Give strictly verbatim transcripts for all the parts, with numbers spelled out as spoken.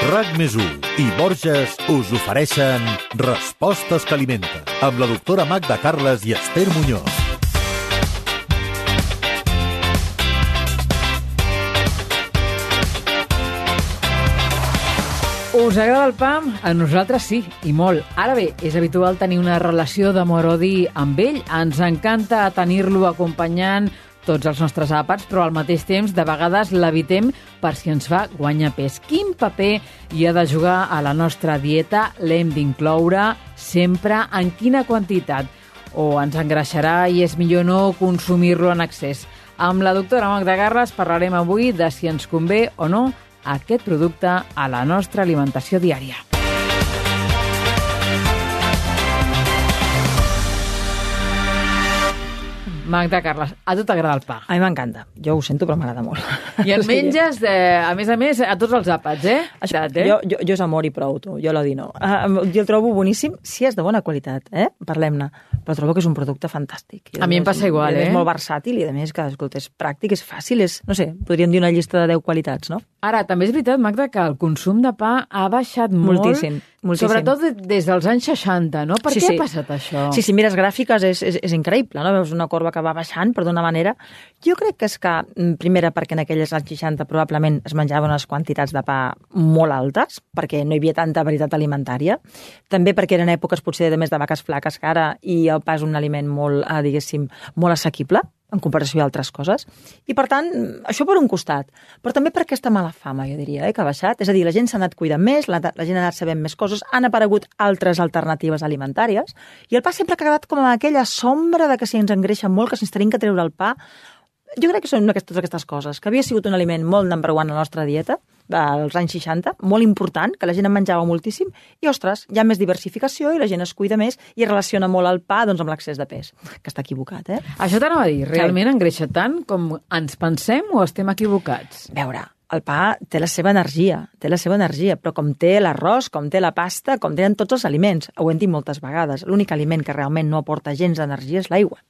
RAC més u i Borges us ofereixen Respostes que alimenten, amb la doctora Magda Carles i Esther Muñoz. Us agrada el pa? A nosaltres sí, i molt. Ara bé, és habitual tenir una relació d'amor-odi amb ell. Ens encanta tenir-lo acompanyant tots els nostres àpats, però al mateix temps de vegades l'evitem per si ens fa guanyar pes. Quin paper hi ha de jugar a la nostra dieta? L'hem d'incloure sempre? En quina quantitat? O ens engreixarà i és millor no consumir-lo en excés? Amb la doctora Magda Carles parlarem avui de si ens convé o no aquest producte a la nostra alimentació diària. Magda Carles, a tu t'agrada el pa? A mi m'encanta. Jo ho sento, però m'agrada molt. I el menges, de, a més a més, a tots els àpats, eh? Això, eh? Jo, jo, jo és amor i prou, tu. Jo l'odi no. Uh, jo el trobo boníssim, si és de bona qualitat, eh? Parlem-ne. Però trobo que és un producte fantàstic. A mi em passa igual, eh? És molt versàtil i, a més, que escolta, és pràctic, és fàcil, és, no sé, podríem dir una llista de deu qualitats, no? Ara, també és veritat, Magda, que el consum de pa ha baixat molt. Moltíssim. Moltíssim. Sobretot des dels anys seixanta, no? Per sí, què sí. ha passat això? Sí, si mires gràfiques és, és, és increïble, no? Veus una corba que va baixant, per d'una manera. Jo crec que és que, primera, perquè en aquelles anys seixanta probablement es menjaven unes quantitats de pa molt altes, perquè no hi havia tanta varietat alimentària. També perquè eren èpoques potser de més de vaques flaques que ara i el pa és un aliment molt, eh, diguéssim, molt assequible en comparació a altres coses. I, per tant, això per un costat. Però també per aquesta mala fama, jo diria, eh, que ha baixat. És a dir, la gent s'ha anat cuidant més, la, la gent ha anat sabent més coses, han aparegut altres alternatives alimentàries, i el pa sempre ha quedat com aquella sombra de que si ens engreixa molt, que si ens tenim que treure el pa. Jo crec que són aquestes, totes aquestes coses, que havia sigut un aliment molt number one a la nostra dieta, als anys seixanta, molt important, que la gent en menjava moltíssim, i, ostres, hi ha més diversificació i la gent es cuida més i es relaciona molt el pa doncs, amb l'excés de pes, que està equivocat, eh? Això t'anava a dir, realment engreixa tant com ens pensem o estem equivocats? A veure, el pa té la seva energia, té la seva energia, però com té l'arròs, com té la pasta, com tenen tots els aliments, ho hem dit moltes vegades, l'únic aliment que realment no aporta gens d'energia és l'aigua.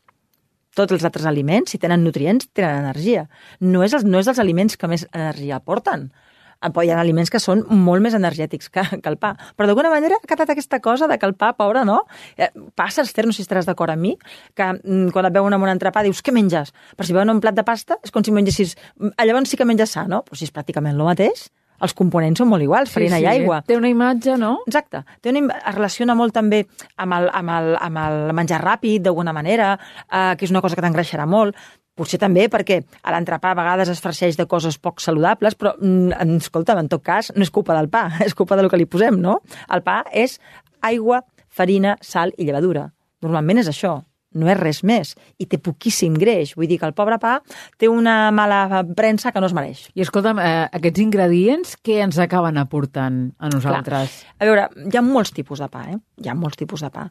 Tots els altres aliments, si tenen nutrients, tenen energia. No és, els, no és els aliments que més energia aporten. Hi ha aliments que són molt més energètics que, que el pa. Però d'alguna manera ha quedat aquesta cosa de que el pa, pobre, no? Eh, passa, Esther, no sé si estaràs d'acord amb mi, que mm, quan et veuen amb un entrepà dius, què menges? Però si veuen un plat de pasta és com si mengessis... Llavors sí que menges sa, no? Però si és pràcticament el mateix. Els components són molt iguals, farina sí, sí. i aigua. Té una imatge, no? Exacte. Té una, es relaciona molt també amb el, amb el, amb el menjar ràpid, d'alguna manera, eh, que és una cosa que t'engreixarà molt. Potser també perquè a l'entrepà a vegades es farceix de coses poc saludables, però, mm, escolta'm, en tot cas, no és culpa del pa, és culpa del que li posem, no? El pa és aigua, farina, sal i llevadura. Normalment és això. No és res més, i té poquíssim greix. Vull dir que el pobre pa té una mala premsa que no es mereix. I escolta'm, eh, aquests ingredients, què ens acaben aportant a nosaltres? Clar. A veure, hi ha molts tipus de pa, eh? Hi ha molts tipus de pa.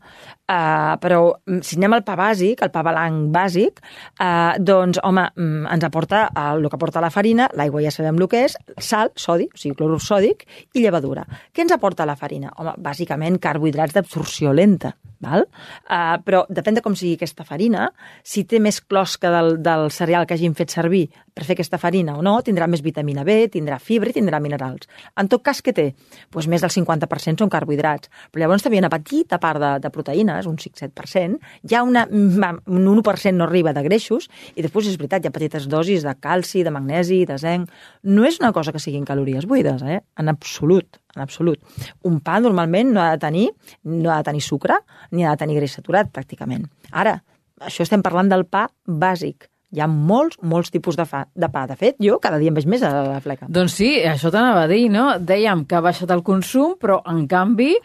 Uh, però si anem al pa bàsic, el pa blanc bàsic, uh, doncs, home, ens aporta el, el que aporta la farina, l'aigua ja sabem el que és, sal, sodi, o sigui, clorur sòdic, i llevadura. Què ens aporta la farina? Home, bàsicament carbohidrats d'absorció lenta, val? Uh, però depèn de com sigui aquesta farina, si té més closca del, del cereal que hagin fet servir per fer aquesta farina o no, tindrà més vitamina B, tindrà fibra i tindrà minerals. En tot cas, què té? Pues més del cinquanta per cent són carbohidrats, però llavors també hi ha una petita part de, de proteïnes, un cinc set per cent, hi ha una, un u per cent no arriba de greixos, i després és veritat, hi ha petites dosis de calci, de magnesi, de zinc. No és una cosa que siguin calories buides, eh? En absolut. En absolut. Un pa normalment no ha de tenir, no ha de tenir sucre ni ha de tenir greix saturat, pràcticament. Ara, això estem parlant del pa bàsic. Hi ha molts, molts tipus de, fa, de pa. De fet, jo cada dia en veig més a la fleca. Doncs sí, això t'anava a dir, no? Dèiem que ha baixat el consum, però en canvi eh,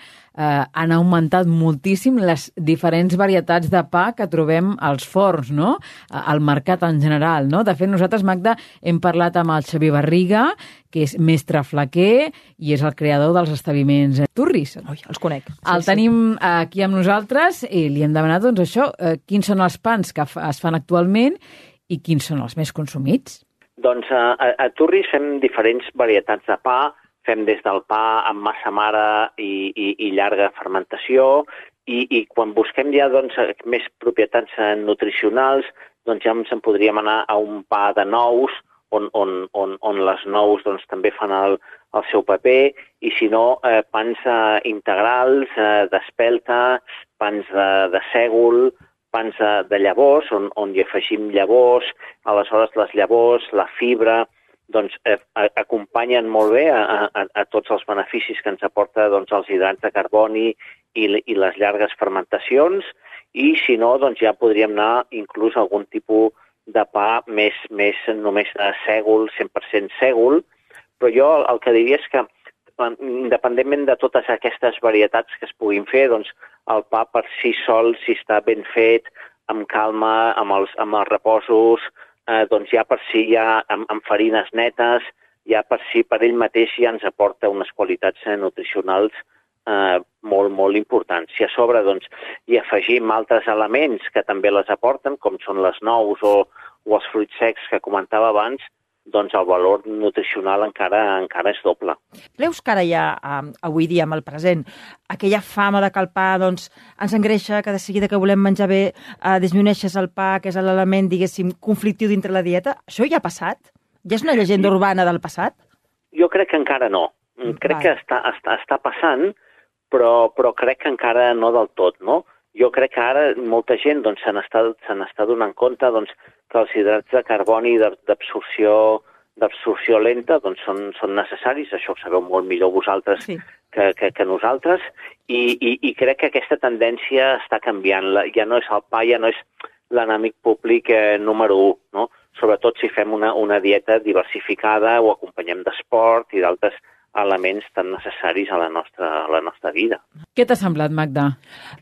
han augmentat moltíssim les diferents varietats de pa que trobem als forns, no? Al mercat en general, no? De fet, nosaltres, Magda, hem parlat amb el Xavier Barriga, que és mestre flaquer i és el creador dels establiments Turris. Ui, els conec. Sí, el tenim sí. aquí amb nosaltres i li hem demanat, doncs, això, eh, quins són els pans que es fan actualment i quins són els més consumits? Doncs a, a Turris fem diferents varietats de pa. Fem des del pa amb massa mare i, i, i llarga fermentació i, i quan busquem ja doncs, més propietats nutricionals, doncs ja ens en podríem anar a un pa de nous, on, on, on, on les nous doncs, també fan el, el seu paper, i si no, eh, pans eh, integrals, eh, d'espelta, pans de, de sègol, pans de, de llavors, on, on hi afegim llavors, aleshores les llavors, la fibra, doncs eh, acompanyen molt bé a, a, a tots els beneficis que ens aporta doncs, els hidrats de carboni i, i les llargues fermentacions, i si no, doncs ja podríem anar inclús a algun tipus de pa més, més només de sègol, cent per cent sègol, però jo el, el que diria és que, independentment de totes aquestes varietats que es puguin fer, doncs el pa per si sol, si està ben fet, amb calma, amb els, amb els reposos, eh, doncs ja per si ja amb, amb farines netes, ja per si per ell mateix ja ens aporta unes qualitats eh, nutricionals eh, molt, molt importants. Si a sobre doncs, hi afegim altres elements que també les aporten, com són les nous o, o els fruits secs que comentava abans, doncs el valor nutricional encara encara és doble. Creus que ara ja, avui dia, amb el present, aquella fama de que el pa doncs, ens engreixa, que de seguida que volem menjar bé eh, disminueixes el pa, que és l'element, diguéssim, conflictiu dintre la dieta, això ja ha passat? Ja és una llegenda urbana del passat? Jo crec que encara no. Crec Vai. que està, està, està passant, però, però crec que encara no del tot, no? Jo crec que ara molta gent doncs, se n'està se n'està donant compte doncs, que els hidrats de carboni d'absorció d'absorció lenta doncs, són, són necessaris, això ho sabeu molt millor vosaltres sí. que, que, que nosaltres, i, i, i crec que aquesta tendència està canviant. Ja no és el pa, ja no és l'enemic públic eh, número u, no? Sobretot si fem una, una dieta diversificada o acompanyem d'esport i d'altres elements tan necessaris a la nostra, a la nostra vida. Què t'ha semblat, Magda?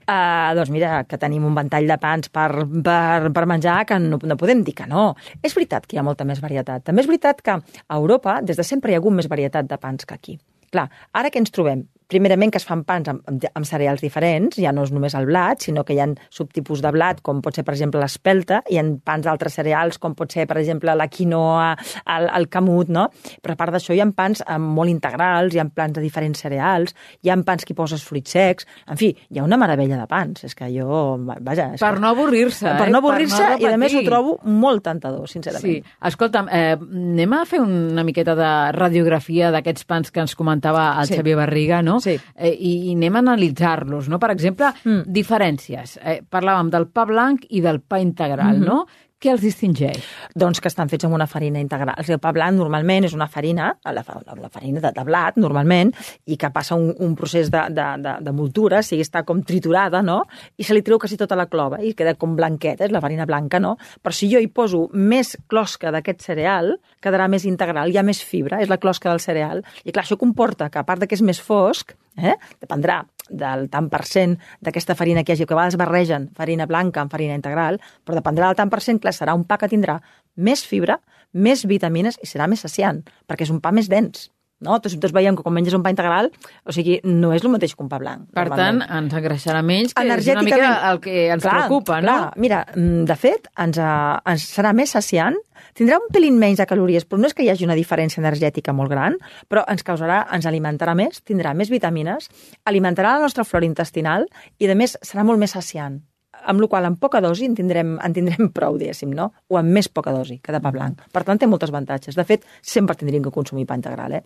Uh, doncs mira, que tenim un ventall de pans per, per, per menjar que no, no podem dir que no. És veritat que hi ha molta més varietat. També és veritat que a Europa des de sempre hi ha hagut més varietat de pans que aquí. Clar, ara què ens trobem? Primerament que es fan pans amb, amb, amb cereals diferents, ja no és només el blat, sinó que hi ha subtipus de blat, com pot ser, per exemple, l'espelta, hi ha pans d'altres cereals, com pot ser, per exemple, la quinoa, el, el camut, no? Però a part d'això hi ha pans molt integrals, hi ha pans de diferents cereals, hi ha pans que hi poses fruits secs, en fi, hi ha una meravella de pans, és que jo, vaja... És per que... no avorrir-se, Per eh? no avorrir-se, per no i a més ho trobo molt tentador, sincerament. Sí, escolta'm, eh, anem a fer una miqueta de radiografia d'aquests pans que ens comentava el sí. Xavier Barriga, no? Sí. Eh, i, i anem a analitzar-los, no? Per exemple, mm. diferències. Eh, parlàvem del pa blanc i del pa integral, mm-hmm. no? Què els distingeix? Doncs que estan fets amb una farina integral. El pa blanc normalment és una farina, la, la farina de, de blat, normalment, i que passa un, un procés de, de, de, de moltura, o sigui, està com triturada, no? I se li treu quasi tota la clova i queda com blanqueta, és la farina blanca, no? Però si jo hi poso més closca d'aquest cereal, quedarà més integral, hi ha més fibra, és la closca del cereal. I clar, això comporta que, a part de que és més fosc, eh, dependrà del tant per cent d'aquesta farina que hi hagi, que a vegades barregen farina blanca amb farina integral, però dependrà del tant per cent, clar, serà un pa que tindrà més fibra, més vitamines i serà més saciant, perquè és un pa més dens. No? Tots, tots veiem que quan menges un pa integral, o sigui, no és el mateix que un pa blanc. Per tant, ens engreixarà menys, que és una mica el que ens clar, preocupa, no? Clar. Mira, de fet, ens, ens serà més saciant, tindrà un pelín menys de calories, però no és que hi hagi una diferència energètica molt gran, però ens causarà, ens alimentarà més, tindrà més vitamines, alimentarà la nostra flora intestinal i, a més, serà molt més saciant. Amb la qual en poca dosi en tindrem, en tindrem prou, diguéssim, no? O amb més poca dosi que de pa blanc. Per tant, té moltes avantatges. De fet, sempre tindríem que consumir pa integral, eh?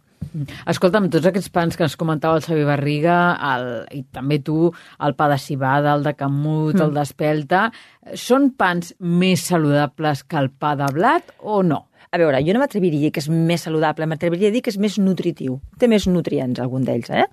Escolta'm, tots aquests pans que ens comentava el Xavier Barriga, el, i també tu, el pa de civada, el de camut, mm. el d'espelta, són pans més saludables que el pa de blat o no? A veure, jo no m'atreviria a dir que és més saludable, m'atreviria a dir que és més nutritiu. Té més nutrients, algun d'ells, eh?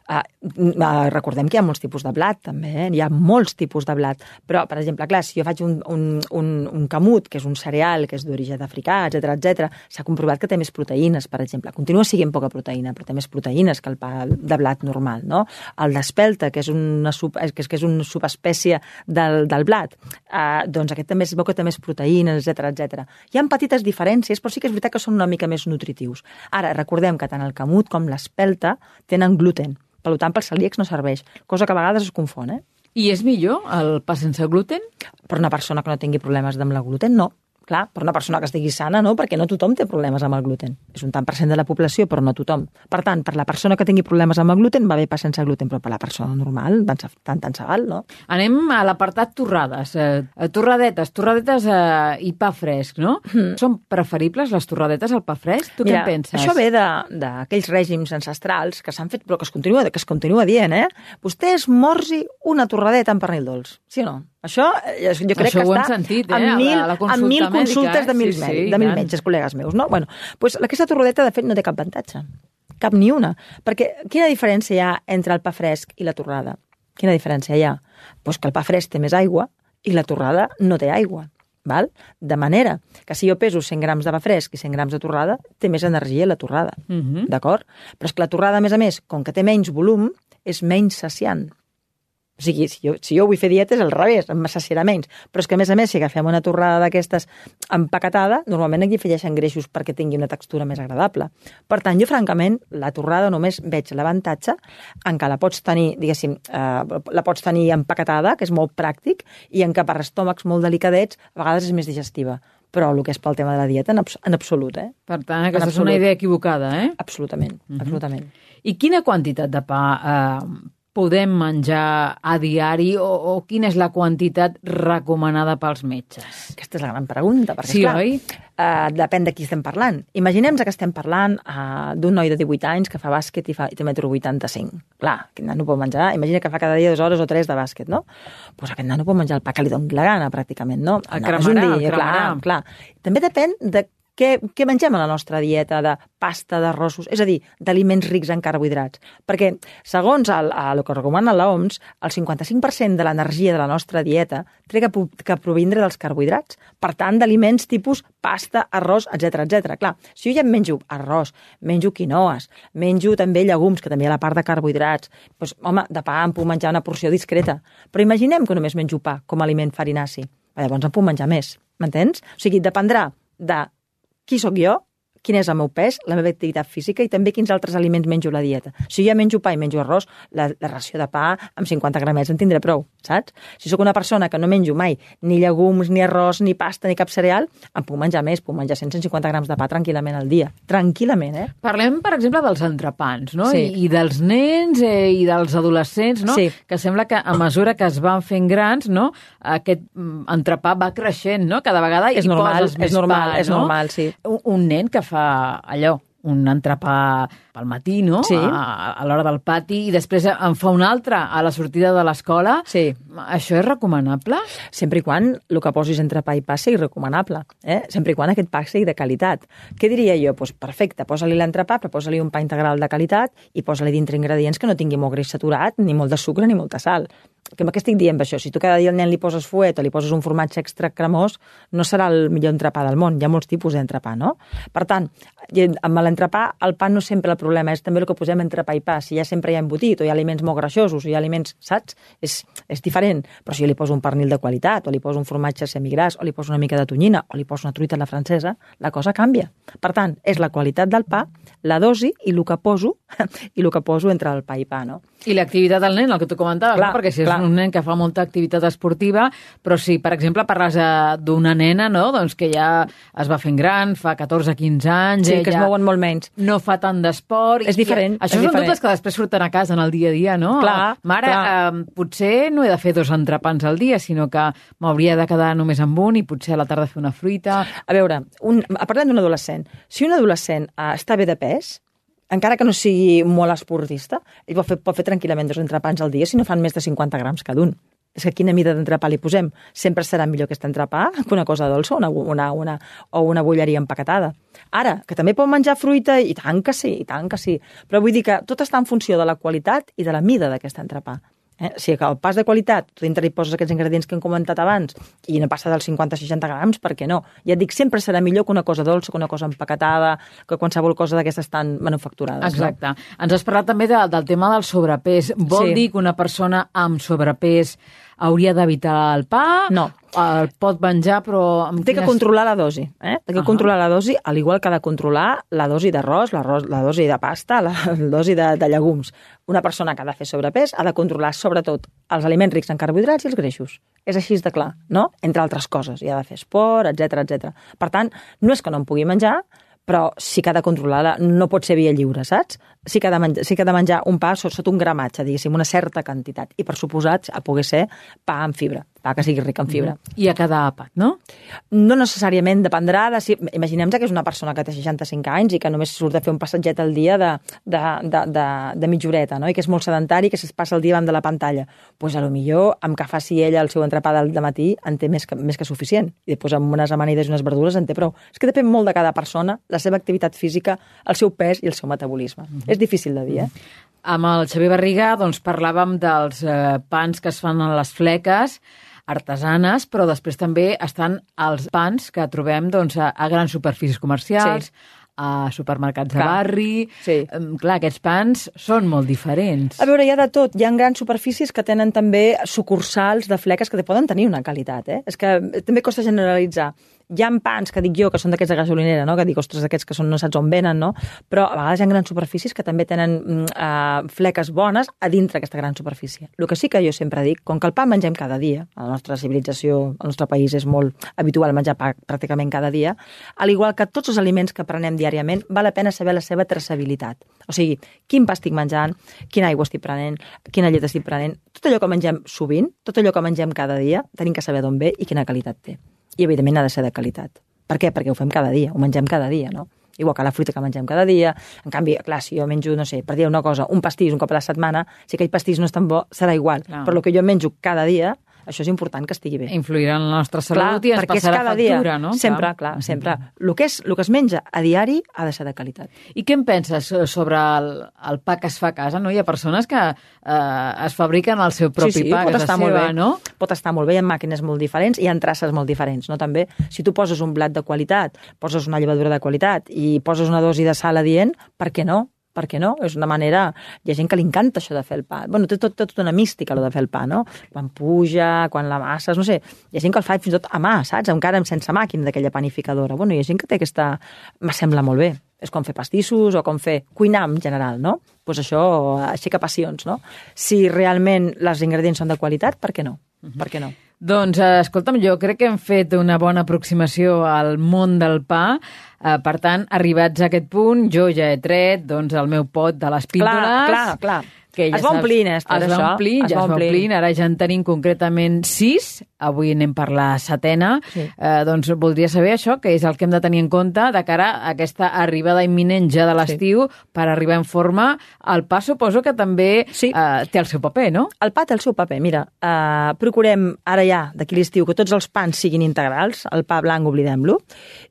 Uh, uh, recordem que hi ha molts tipus de blat, també, eh? Hi ha molts tipus de blat. Però, per exemple, clar, si jo faig un, un, un, un camut, que és un cereal, que és d'origen africà, etcètera, etcètera, s'ha comprovat que té més proteïnes, per exemple. Continua sent poca proteïna, però té més proteïnes que el pa de blat normal, no? El d'espelta, que és una, sub, que és, que és una subespècie del, del blat, uh, doncs aquest també es veu que té més proteïnes, etcètera, etcètera. Hi ha petites diferències, però sí que és veritat que són una mica més nutritius. Ara, recordem que tant el camut com l'espelta tenen gluten. Per tant, pels celíacs no serveix, cosa que a vegades es confon, eh? I és millor el pa sense gluten? Per una persona que no tingui problemes amb la gluten, no. clar, per una persona que estigui sana, no? Perquè no tothom té problemes amb el gluten. És un tant per cent de la població, però no tothom. Per tant, per la persona que tingui problemes amb el gluten, va bé pas sense gluten, però per la persona normal, tant, tant, tant se val, no? Anem a l'apartat torrades. Eh, torradetes, torradetes eh, i pa fresc, no? Mm. Són preferibles les torradetes al pa fresc? Tu Mira, què en penses? Això ve d'aquells règims ancestrals que s'han fet, però que es continua, que es continua dient, eh? Vostè esmorzi una torradeta amb pernil dolç, sí o no? Això jo crec Això que està sentit, eh? en mil, a la, a la en mil mèdica, consultes de mil, sí, sí, de mil metges, col·legues meus, no? Bueno, doncs aquesta torradeta, de fet, no té cap avantatge. Cap ni una. Perquè quina diferència hi ha entre el pa fresc i la torrada? Quina diferència hi ha? Doncs que el pa fresc té més aigua i la torrada no té aigua. Val? De manera que si jo peso cent grams de pa fresc i cent grams de torrada, té més energia la torrada. Uh -huh. D'acord? Però és que la torrada, a més a més, com que té menys volum, és menys saciant. O sigui, si jo, si jo vull fer dietes, al revés, em saciarà menys. Però és que, a més a més, si agafem una torrada d'aquestes empaquetada, normalment aquí afegeixen greixos perquè tingui una textura més agradable. Per tant, jo, francament, la torrada només veig l'avantatge en què la pots tenir, diguéssim, eh, la pots tenir empaquetada, que és molt pràctic, i en què per estómacs molt delicadets a vegades és més digestiva. Però el que és pel tema de la dieta, en, abs en absolut, eh? Per tant, aquesta és una idea equivocada, eh? Absolutament, uh-huh. absolutament. I quina quantitat de pa eh, podem menjar a diari o, o quina és la quantitat recomanada pels metges? Aquesta és la gran pregunta, perquè, sí, esclar, oi? Uh, depèn de qui estem parlant. Imaginem que estem parlant uh, d'un noi de divuit anys que fa bàsquet i, fa, i té metro vuitanta-cinc. Clar, aquest nano pot menjar, imagina que fa cada dia dues hores o tres de bàsquet, no? Doncs pues aquest nano pot menjar el pa que li doni la gana, pràcticament, no? El no, cremarà, el dia, el cremarà. Clar, clar. També depèn de Què, què mengem a la nostra dieta de pasta, d'arrossos, és a dir, d'aliments rics en carbohidrats? Perquè, segons el, el que recomana l'O M S, el cinquanta-cinc per cent de l'energia de la nostra dieta té que, que provindre dels carbohidrats. Per tant, d'aliments tipus pasta, arròs, etcètera, etcètera. Clar, si jo ja em menjo arròs, menjo quinoes, menjo també llegums, que també hi ha la part de carbohidrats, doncs, home, de pa em puc menjar una porció discreta. Però imaginem que només menjo pa com a aliment farinaci. Llavors em puc menjar més, m'entens? O sigui, dependrà de qui sóc jo, quin és el meu pes, la meva activitat física i també quins altres aliments menjo a la dieta. Si jo ja menjo pa i menjo arròs, la, la ració de pa amb cinquanta gramets en tindré prou, saps? Si sóc una persona que no menjo mai ni llegums, ni arròs, ni pasta, ni cap cereal, em puc menjar més, puc menjar cent a cent cinquanta grams de pa tranquil·lament al dia. Tranquil·lament, eh? Parlem, per exemple, dels entrepans, no? Sí. I, I dels nens eh, i dels adolescents, no? Sí. Que sembla que a mesura que es van fent grans, no? Aquest entrepà va creixent, no? Cada vegada és hi normal, poses més és normal, pa, és no? normal, sí. Un, un nen que fa allò, un entrepà pel matí, no? Sí. A, a l'hora del pati, i després en fa un altre a la sortida de l'escola. Sí. Això és recomanable? Sempre i quan el que posis entre pa i pa sigui recomanable, eh? Sempre i quan aquest pa sigui de qualitat. Què diria jo? Pues perfecte, posa-li l'entrepà, però posa-li un pa integral de qualitat i posa-li dintre ingredients que no tingui molt greix saturat, ni molt de sucre, ni molta sal. Que què estic dient això? Si tu cada dia al nen li poses fuet o li poses un formatge extra cremós, no serà el millor entrepà del món. Hi ha molts tipus d'entrepà, no? Per tant, amb l'entrepà, el pa no sempre el problema, és també el que posem entre pa i pa. Si ja sempre hi ha embotit, o hi ha aliments molt greixosos, o hi ha aliments, saps? És, és diferent. Però si jo li poso un pernil de qualitat, o li poso un formatge semigras, o li poso una mica de tonyina, o li poso una truita a la francesa, la cosa canvia. Per tant, és la qualitat del pa, la dosi i el que poso, i el que poso entre el pa i pa, no? I l'activitat del nen, el que tu comentaves, clar, no? Perquè si és clar. un nen que fa molta activitat esportiva, però si, per exemple, parles d'una nena, no? Doncs que ja es va fent gran, fa catorze quinze anys... Sí, que es mouen molt menys. No fa tant d'esport... És diferent. I, això és són diferent. dubtes que després surten a casa en el dia a dia, no? Clar, Mare, clar. Eh, potser no he de fer dos entrepans al dia, sinó que m'hauria de quedar només amb un i potser a la tarda fer una fruita... A veure, un, parlem d'un adolescent. Si un adolescent eh, està bé de pes, encara que no sigui molt esportista, ell pot fer, pot fer tranquil·lament dos entrepans al dia si no fan més de cinquanta grams cada un. És que quina mida d'entrepà li posem? Sempre serà millor aquest entrepà que una cosa dolça o una, una, una, o una bolleria empaquetada. Ara, que també pot menjar fruita, i tant que sí, i tant que sí. Però vull dir que tot està en funció de la qualitat i de la mida d'aquest entrepà. Eh? O sigui que el pas de qualitat, tu dintre hi poses aquests ingredients que hem comentat abans i no passa dels cinquanta a seixanta grams, per què no? Ja et dic, sempre serà millor que una cosa dolça, que una cosa empaquetada, que qualsevol cosa d'aquestes tan manufacturades. Exacte. No? Ens has parlat també de, del tema del sobrepès. Vol Sí. dir que una persona amb sobrepès hauria d'evitar el pa? No. El pot menjar, però... Té que controlar la dosi, eh? Té que uh -huh. controlar la dosi, al igual que ha de controlar la dosi d'arròs, la dosi de pasta, la dosi de, de llegums. Una persona que ha de fer sobrepès ha de controlar, sobretot, els aliments rics en carbohidrats i els greixos. És així de clar, no? Entre altres coses. I ha de fer esport, etcètera, etcètera. Per tant, no és que no en pugui menjar, però sí que ha de controlar-la, no pot ser via lliure, saps? Sí que ha de menjar, sí que ha de menjar un pa sota un gramatge, diguéssim, una certa quantitat. I per suposat, a poder ser pa amb fibra, pa que sigui ric en fibra. I a cada àpat, no? No necessàriament, dependrà de si... Imaginem-nos que és una persona que té seixanta-cinc anys i que només surt a fer un passatget al dia de, de, de, de, de mitja horeta, no? I que és molt sedentari i que es passa el dia davant de la pantalla. Doncs pues a lo millor, amb que faci ella el seu entrepà del matí, en té més que, més que suficient. I després amb unes amanides i unes verdures en té prou. És que depèn molt de cada persona, la seva activitat física, el seu pes i el seu metabolisme. Mm-hmm. És difícil de dir, eh? Amb el Xavier Barriga doncs, parlàvem dels eh, pans que es fan a les fleques, artesanes, però després també estan els pans que trobem doncs, a, a grans superfícies comercials, sí. a supermercats de barri... Sí. Clar, aquests pans són molt diferents. A veure, hi ha de tot. Hi ha grans superfícies que tenen també sucursals de fleques que poden tenir una qualitat, eh? És que també costa generalitzar. Hi ha pans, que dic jo, que són d'aquests de gasolinera, no? Que dic, ostres, aquests que són, no saps on venen, no? Però a vegades hi ha grans superfícies que també tenen uh, fleques bones a dintre aquesta gran superfície. El que sí que jo sempre dic, com que el pa mengem cada dia, a la nostra civilització, al nostre país és molt habitual menjar pa pràcticament cada dia, al igual que tots els aliments que prenem diàriament, val la pena saber la seva traçabilitat. O sigui, quin pa estic menjant, quina aigua estic prenent, quina llet estic prenent, tot allò que mengem sovint, tot allò que mengem cada dia, tenim que saber d'on ve i quina qualitat té. I, evidentment, ha de ser de qualitat. Per què? Perquè ho fem cada dia, ho mengem cada dia, no? Igual que la fruita que mengem cada dia. En canvi, clar, si jo menjo, no sé, per dir una cosa, un pastís un cop a la setmana, si aquell pastís no és tan bo, serà igual. Clar. Però el que jo menjo cada dia, això és important que estigui bé. Influirà en la nostra salut, clar, i ens passarà factura, dia, no? Sempre, clar, clar sempre. El que, és, el que es menja a diari ha de ser de qualitat. I què en penses sobre el, el pa que es fa a casa? No? Hi ha persones que eh, es fabriquen el seu propi sí, sí, pa, pot que és estar la seva, molt bé. No? Pot estar molt bé, hi ha màquines molt diferents, hi ha traces molt diferents, no? També, si tu poses un blat de qualitat, poses una llevadura de qualitat i poses una dosi de sal adient, per què no? Per què no? És una manera... Hi ha gent que li encanta això de fer el pa. Bueno, té tot, tot una mística, allò de fer el pa, no? Quan puja, quan la masses, no sé. Hi ha gent que el fa fins i tot a mà, saps? Encara sense màquina d'aquella panificadora. Bueno, hi ha gent que té aquesta... Me sembla molt bé. És com fer pastissos o com fer cuinar en general, no? Doncs pues això aixeca passions, no? Si realment els ingredients són de qualitat, per què no? Uh-huh. Per què no? Doncs, escolta'm, jo crec que hem fet una bona aproximació al món del pa. Eh, per tant, arribats a aquest punt, jo ja he tret doncs, el meu pot de les píndoles. Clar, clar, clar. Que ja es va omplint, Esther, es va omplint, ja es va omplint. Ara ja en tenim concretament sis. Avui anem per la setena. Sí. Eh, doncs voldria saber això, que és el que hem de tenir en compte de cara a aquesta arribada imminent ja de l'estiu, sí. Per arribar en forma. El pa suposo que també sí. eh, té el seu paper, no? El pa té el seu paper. Mira, eh, procurem ara ja, d'aquí l'estiu, que tots els pans siguin integrals. El pa blanc, oblidem-lo.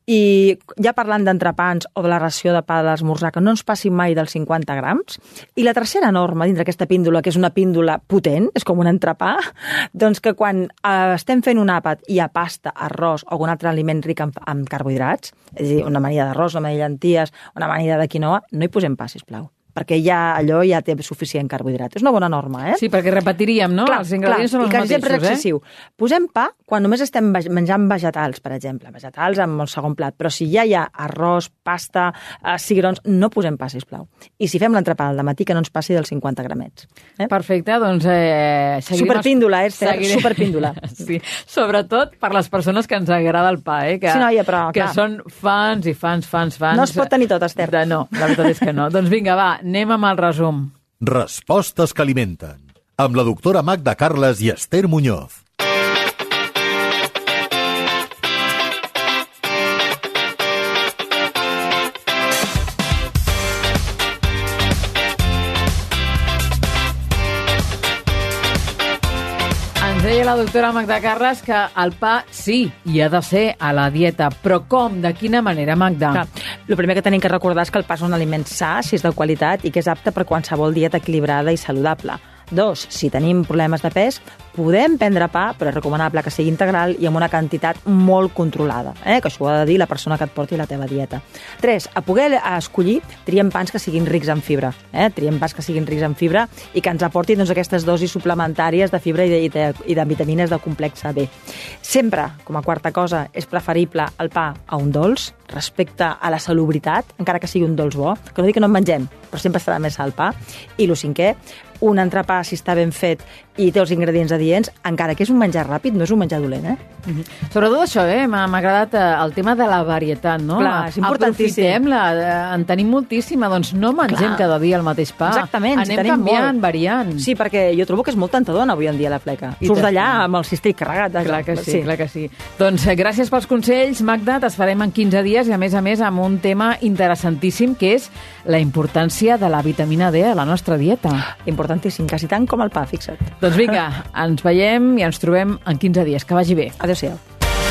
I ja parlant d'entrepans o de la ració de pa de l'esmorzar, que no ens passin mai dels cinquanta grams. I la tercera norma, dintre aquesta píndola, que és una píndola potent, és com un entrepà, doncs que quan eh, estem fent un àpat i hi ha pasta, arròs o algun altre aliment ric en, en carbohidrats, és a dir, una amanida d'arròs, una amanida de llenties, una amanida de quinoa, no hi posem pa, sisplau, perquè ja allò ja té suficient carbohidrat. És una bona norma, eh? Sí, perquè repetiríem, no? Clar, els ingredients clar, són els i que mateixos, sempre és excessiu. Eh? Posem pa quan només estem menjant vegetals, per exemple. Vegetals amb el segon plat. Però si ja hi ha arròs, pasta, eh, cigrons, no posem pa, sisplau. I si fem l'entrepà al matí, que no ens passi dels cinquanta gramets. Eh? Perfecte, doncs eh, seguirem... Superpíndola, eh, Esther? Seguirem... Superpíndola. Sí, sobretot per les persones que ens agrada el pa, eh? Que, sí, noia, però, que clar. Són fans i fans, fans, fans... No es pot tenir tot, Esther. De, no, la veritat és que no. Doncs vinga, va, anem amb el resum. Respostes que alimenten. Amb la doctora Magda Carles i Esther Muñoz. Ens deia la doctora Magda Carles que el pa sí, hi ha de ser a la dieta, però com? De quina manera, Magda? Clar, el primer que tenim que recordar és que el pa és un aliment sa, si és de qualitat, i que és apte per qualsevol dieta equilibrada i saludable. Dos, si tenim problemes de pes, podem prendre pa, però és recomanable que sigui integral i amb una quantitat molt controlada, eh? Que això ho ha de dir la persona que et porti la teva dieta. tres. A poder escollir, triem pans que siguin rics en fibra, eh? Triem pans que siguin rics en fibra i que ens aportin doncs, aquestes dosis suplementàries de fibra i de, i de, i de vitamines del complex B. Sempre, com a quarta cosa, és preferible el pa a un dolç respecte a la salubritat, encara que sigui un dolç bo, que no dic que no en mengem, però sempre estarà més al pa. I el cinquè, un entrepà, si està ben fet i té els ingredients adients, encara que és un menjar ràpid, no és un menjar dolent, eh? Mm-hmm. Sobretot això, eh? M'ha agradat el tema de la varietat, no? Clar, és importantíssim. Aprofitem-la, en tenim moltíssima, doncs no mengem Clar. cada dia el mateix pa. Exactament, Anem tenim canviant, molt. variant. Sí, perquè jo trobo que és molt tentador avui en dia la fleca. I Surts d'allà amb el cistell carregat. De... Clar que sí, sí, clar que sí. Doncs gràcies pels consells, Magda, t'esperem en quinze dies i a més a més amb un tema interessantíssim que és la importància de la vitamina D a la nostra dieta. Importantíssim, quasi tant com el pa, fixa't. Doncs vinga, ens veiem i ens trobem en quinze dies. Que vagi bé. Adéu-siau.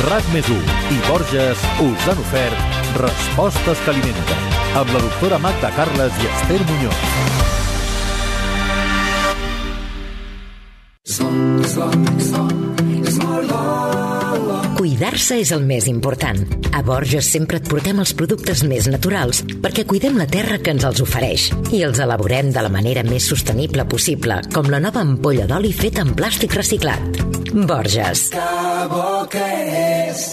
RAC més u i Borges us han ofert Respostes que alimenten amb la doctora Magda Carles i Esther Muñoz. Cuidar-se és el més important. A Borges sempre et portem els productes més naturals perquè cuidem la terra que ens els ofereix i els elaborem de la manera més sostenible possible, com la nova ampolla d'oli feta en plàstic reciclat. Borges. Que bo que és